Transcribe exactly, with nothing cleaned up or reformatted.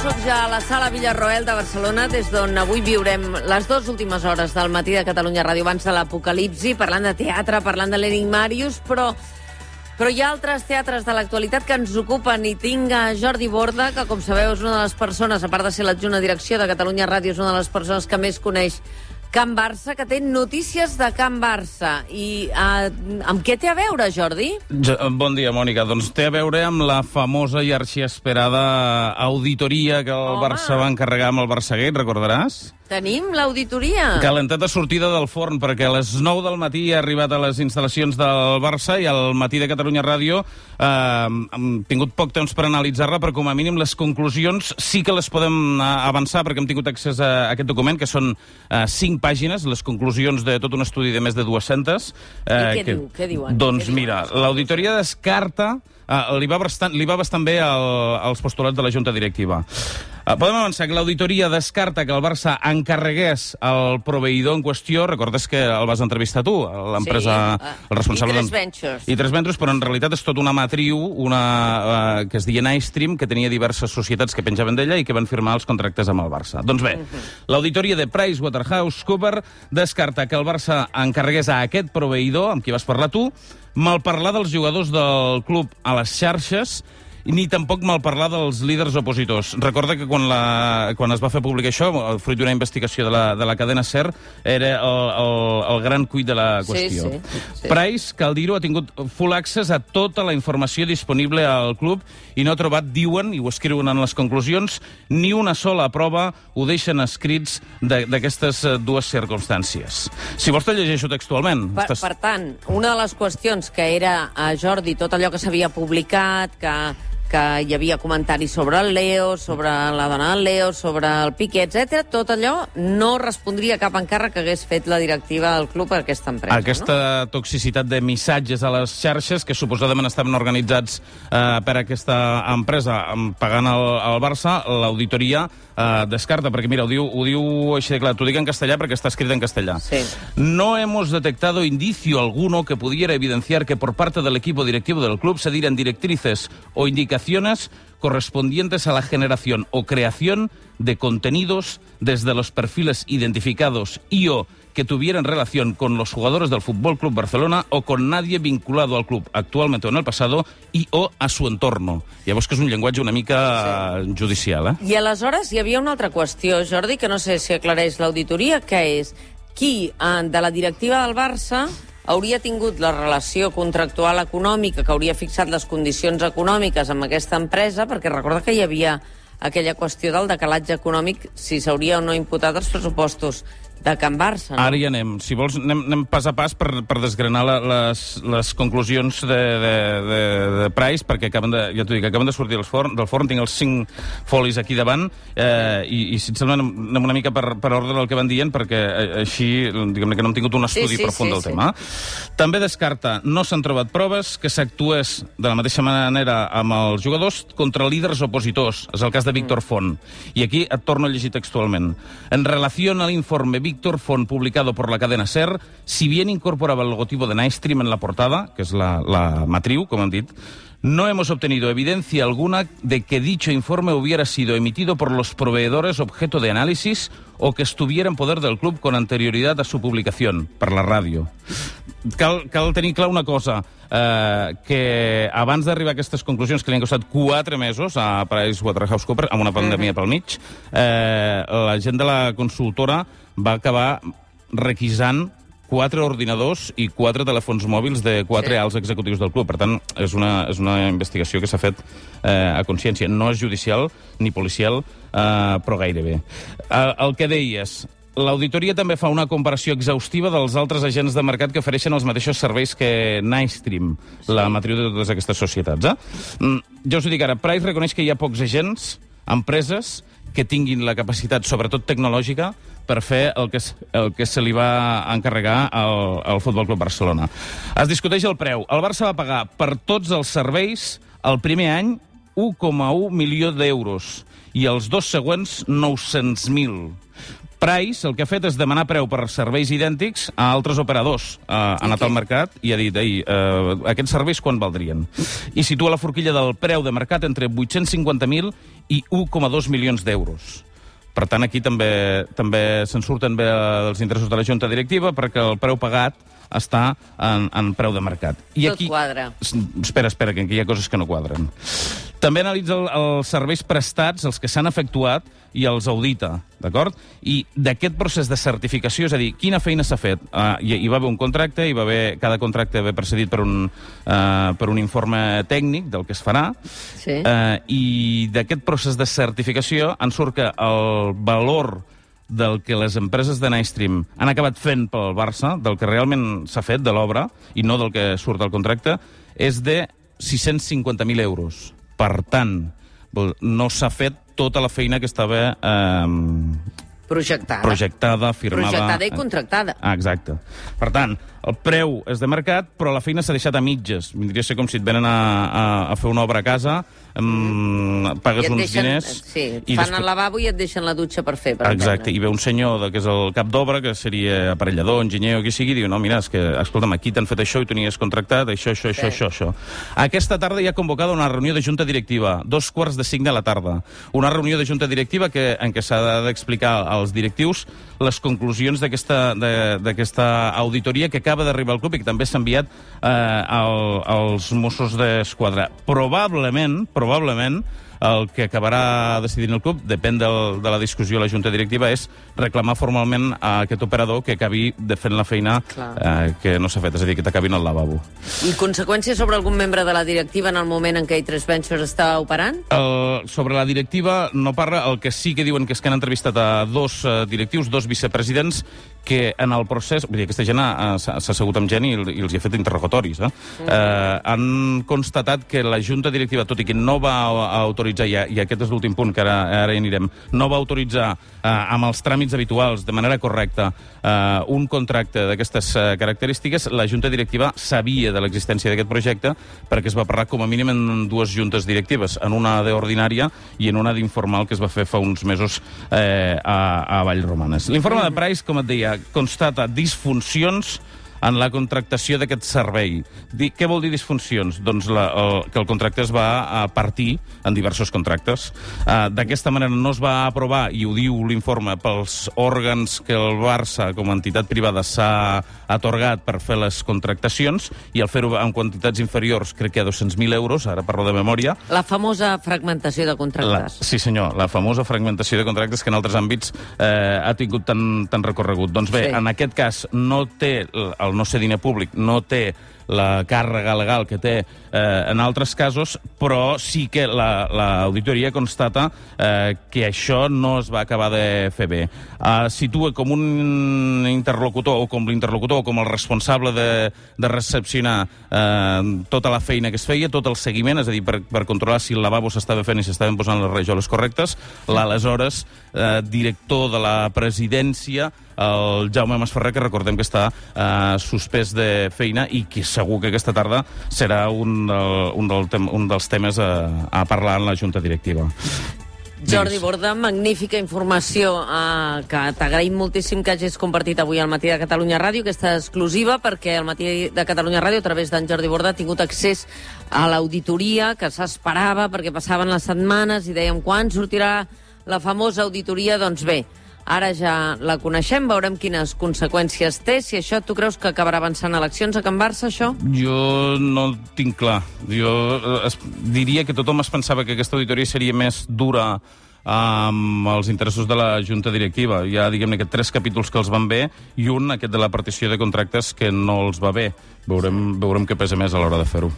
sóc ja a la Sala Villarroel de Barcelona, des d'on avui viurem les dues últimes hores del matí de Catalunya Ràdio abans de l'apocalipsi, parlant de teatre, parlant de l'Enigmàrius, però, però hi ha altres teatres de l'actualitat que ens ocupen, i tinc a Jordi Borda, que, com sabeu, és una de les persones, a part de ser l'adjunt a direcció de Catalunya Ràdio, és una de les persones que més coneix Can Barça, que té notícies de Can Barça. I uh, amb què té a veure, Jordi? Jo, bon dia, Mònica. Doncs té a veure amb la famosa i arxiesperada auditoria que el Home. Barça va encarregar amb el Barçagate, recordaràs? Tenim l'auditoria. Calentat de sortida del forn, perquè a les nou del matí ha arribat a les instal·lacions del Barça i al matí de Catalunya Ràdio eh, hem tingut poc temps per analitzar-la, però com a mínim les conclusions sí que les podem avançar, perquè hem tingut accés a aquest document, que són eh, cinc pàgines, les conclusions de tot un estudi de més de dues-centes. Eh, I què que, diu? Què diuen? Doncs què mira, l'auditoria descarta... Uh, li, va bastant, li va bastant bé el, els postulats de la Junta Directiva. Uh, podem avançar que l'auditoria descarta que el Barça encarregués el proveïdor en qüestió. Recordes que el vas entrevistar tu, l'empresa... Sí, uh, el responsable i tres ventures. I tres ventures, però en realitat és tot una matriu, una, uh, que es deia Nystream, que tenia diverses societats que penjaven d'ella i que van firmar els contractes amb el Barça. Doncs bé, uh -huh. l'auditoria de PricewaterhouseCoopers descarta que el Barça encarregués a aquest proveïdor, amb qui vas parlar tu, malparlar dels jugadors del club a les xarxes, ni tampoc malparlar dels líders opositors. Recorda que quan, la, quan es va fer públic això, fruit d'una investigació de la, de la cadena SER, era el, el, el gran cuit de la qüestió. Sí, sí, sí. Price, cal dir-ho, ha tingut full access a tota la informació disponible al club i no ha trobat, diuen, i ho escriuen en les conclusions, ni una sola prova, ho deixen escrits d'aquestes dues circumstàncies. Si vols te llegeixo textualment. Per, Estàs... per tant, una de les qüestions que era, a Jordi, tot allò que s'havia publicat, que que hi havia comentaris sobre el Leo, sobre la dona del Leo, sobre el Piqué, etcètera. Tot allò no respondria a cap encàrrec que hagués fet la directiva del club per aquesta empresa. Aquesta no? toxicitat de missatges a les xarxes, que suposadament estaven organitzats eh, per aquesta empresa pagant el, el Barça, l'auditoria eh, descarta, perquè mira, ho diu, ho diu així de clar, t'ho dic en castellà perquè està escrit en castellà. Sí. No hemos detectado indicio alguno que pudiera evidenciar que por parte del equipo directivo del club se dieran directrices o indicaciones correspondientes a la generación o creación de contenidos desde los perfiles identificados y o que tuvieran relación con los jugadores del Fútbol Club Barcelona o con nadie vinculado al club actualmente o en el pasado y o a su entorno. Llavors que és un llenguatge una mica sí. judicial, eh? I aleshores hi havia una altra qüestió, Jordi, que no sé si aclareix l'auditoria, que és qui de la directiva del Barça hauria tingut la relació contractual econòmica, que hauria fixat les condicions econòmiques amb aquesta empresa, perquè recorda que hi havia aquella qüestió del decalatge econòmic, si s'hauria o no imputat els pressupostos de Can Barça. No? Ara hi anem. Si vols, anem, anem pas a pas per, per desgranar la, les, les conclusions de, de, de, de Price, perquè acaben de, ja t'ho dic, acaben de sortir del forn, del forn, tinc els cinc folis aquí davant, eh, i, i si et sembla anem una mica per, per ordre del que van dient, perquè així, diguem-ne que no hem tingut un estudi sí, sí, profund sí, del sí. tema. També descarta, no s'han trobat proves que s'actués de la mateixa manera amb els jugadors contra líders opositors. És el cas de Víctor Font. I aquí et torno a llegir textualment. En relació al informe Víctor Font publicado por la cadena SER, si bien incorporaba el logotipo de Nystream en la portada, que es la, la matriu, como han dit, no hemos obtenido evidencia alguna de que dicho informe hubiera sido emitido por los proveedores objeto de análisis o que estuviera en poder del club con anterioridad a su publicación, per la ràdio. Cal, cal tenir clar una cosa, eh, que abans d'arribar a aquestes conclusions, que li han costat quatre mesos a PricewaterhouseCoopers, amb una pandèmia pel mig, eh, la gent de la consultora va acabar requisant quatre ordinadors i quatre telèfons mòbils de quatre sí. alts executius del club. Per tant, és una, és una investigació que s'ha fet eh, a consciència. No és judicial ni policial, eh, però gairebé. El, el que deies, l'auditoria també fa una comparació exhaustiva dels altres agents de mercat que ofereixen els mateixos serveis que Nystream, sí. la matriu de totes aquestes societats. Eh? Mm, ja us ho dic ara, Price reconeix que hi ha pocs agents, empreses, que tinguin la capacitat, sobretot tecnològica, per fer el que, el que se li va encarregar al, al Futbol Club Barcelona. Es discuteix el preu. El Barça va pagar per tots els serveis el primer any un coma un milió d'euros i els dos següents nou-cents mil. Price el que ha fet és demanar preu per serveis idèntics a altres operadors. Uh, ha anat al mercat i ha dit, ei, uh, aquests serveis quan valdrien? I situa la forquilla del preu de mercat entre vuit-cents cinquanta mil i un coma dos milions d'euros. Per tant, aquí també també se'n surten bé els interessos de la Junta Directiva perquè el preu pagat està en, en preu de mercat. I Tot aquí, quadra. Espera, espera, que aquí hi ha coses que no quadren. També analitza el, els serveis prestats, els que s'han efectuat, i els audita, d'acord? I d'aquest procés de certificació, és a dir, quina feina s'ha fet? Uh, hi, hi va haver un contracte, hi va haver, cada contracte va precedit per un, uh, per un informe tècnic del que es farà, Sí. uh, i d'aquest procés de certificació en surt que el valor del que les empreses de Nystream han acabat fent pel Barça, del que realment s'ha fet de l'obra, i no del que surt al contracte, és de sis-cents cinquanta mil euros. Per tant, no s'ha fet tota la feina que estava eh, Projectada. projectada, firmada... Projectada i contractada. Ah, exacte. Per tant, el preu és de mercat, però la feina s'ha deixat a mitges. Vindria a ser com si et venen a, a, a fer una obra a casa, um, pagues uns deixen, diners... Sí, i fan després... al lavabo i et deixen la dutxa per fer, per Exacte, entendre. i ve un senyor de, que és el cap d'obra, que seria aparellador, enginyer o qui sigui, i diu, no, mira, és que, escolta'm, aquí t'han fet això i tu n'hi has contractat, això, això, això, Sí. això, això. Aquesta tarda hi ha convocada una reunió de junta directiva, dos quarts de cinc de la tarda. Una reunió de junta directiva que, en què s'ha d'explicar als directius les conclusions d'aquesta d'aquesta auditoria que acaba d'arribar al club i que també s'ha enviat eh, al, als Mossos d'Esquadra. Probablement, probablement, el que acabarà decidint el club, depèn del, de la discussió a la Junta Directiva, és reclamar formalment a aquest operador que acabi de fent la feina eh, que no s'ha fet, és a dir, que t'acabin al lavabo. I conseqüències sobre algun membre de la directiva en el moment en què A tres Ventures està operant? El, sobre la directiva no parla, el que sí que diuen que és que han entrevistat a dos uh, directius, dos vicepresidents, que en el procés... Vull dir, aquesta gent uh, s'ha assegut amb gent i, i els hi ha fet interrogatoris. Eh? Mm. Uh, han constatat que la Junta Directiva, tot i que no va autoritzar, i, i aquest és l'últim punt que ara, ara hi anirem, no va autoritzar uh, amb els tràmits habituals, de manera correcta, uh, un contracte d'aquestes uh, característiques. La Junta Directiva sabia de l'existència d'aquest projecte perquè es va parlar com a mínim en dues juntes directives, en una d'ordinària i en una d'informal que es va fer fa uns mesos eh, a, a Vallromanes. L'informe de Price, com et deia, constata disfuncions en la contractació d'aquest servei. Di, què vol dir disfuncions? Doncs la, el, que el contracte es va a partir en diversos contractes. Uh, D'aquesta manera no es va aprovar, i ho diu l'informe, pels òrgans que el Barça, com a entitat privada, s'ha atorgat per fer les contractacions, i al fer-ho en quantitats inferiors, crec que a dos-cents mil euros, ara parlo de memòria. La famosa fragmentació de contractes. La, sí, senyor, la famosa fragmentació de contractes que en altres àmbits eh, ha tingut tan, tan recorregut. Doncs bé, sí. En aquest cas no té el no ser diner públic, no té la càrrega legal que té eh, en altres casos, però sí que l'auditoria la, constata eh, que això no es va acabar de fer bé. Uh, situa com un interlocutor, o com l'interlocutor, o com el responsable de, de recepcionar eh, tota la feina que es feia, tot el seguiment, és a dir, per, per controlar si el lavabo s'estava fent i s'estaven posant les rajoles correctes, l'aleshores eh, director de la presidència, el Jaume Masferrer, que recordem que està eh, suspès de feina i que segur que aquesta tarda serà un, del, un, del tem un dels temes a, a parlar en la Junta Directiva. Jordi Borda, magnífica informació eh, que t'agraïm moltíssim que hagis compartit avui al Matí de Catalunya Ràdio, aquesta exclusiva, perquè el Matí de Catalunya Ràdio, a través d'en Jordi Borda, ha tingut accés a l'auditoria que s'esperava, perquè passaven les setmanes i dèiem quan sortirà la famosa auditoria. Doncs bé, ara ja la coneixem, veurem quines conseqüències té. Si això tu creus que acabarà avançant eleccions a Can Barça, això? Jo no ho tinc clar. Jo es, diria que tothom es pensava que aquesta auditoria seria més dura amb els interessos de la Junta Directiva. Hi ha, diguem-ne, que tres capítols que els van bé i un, aquest de la partició de contractes, que no els va bé. Veurem, veurem què pesa més a l'hora de fer-ho.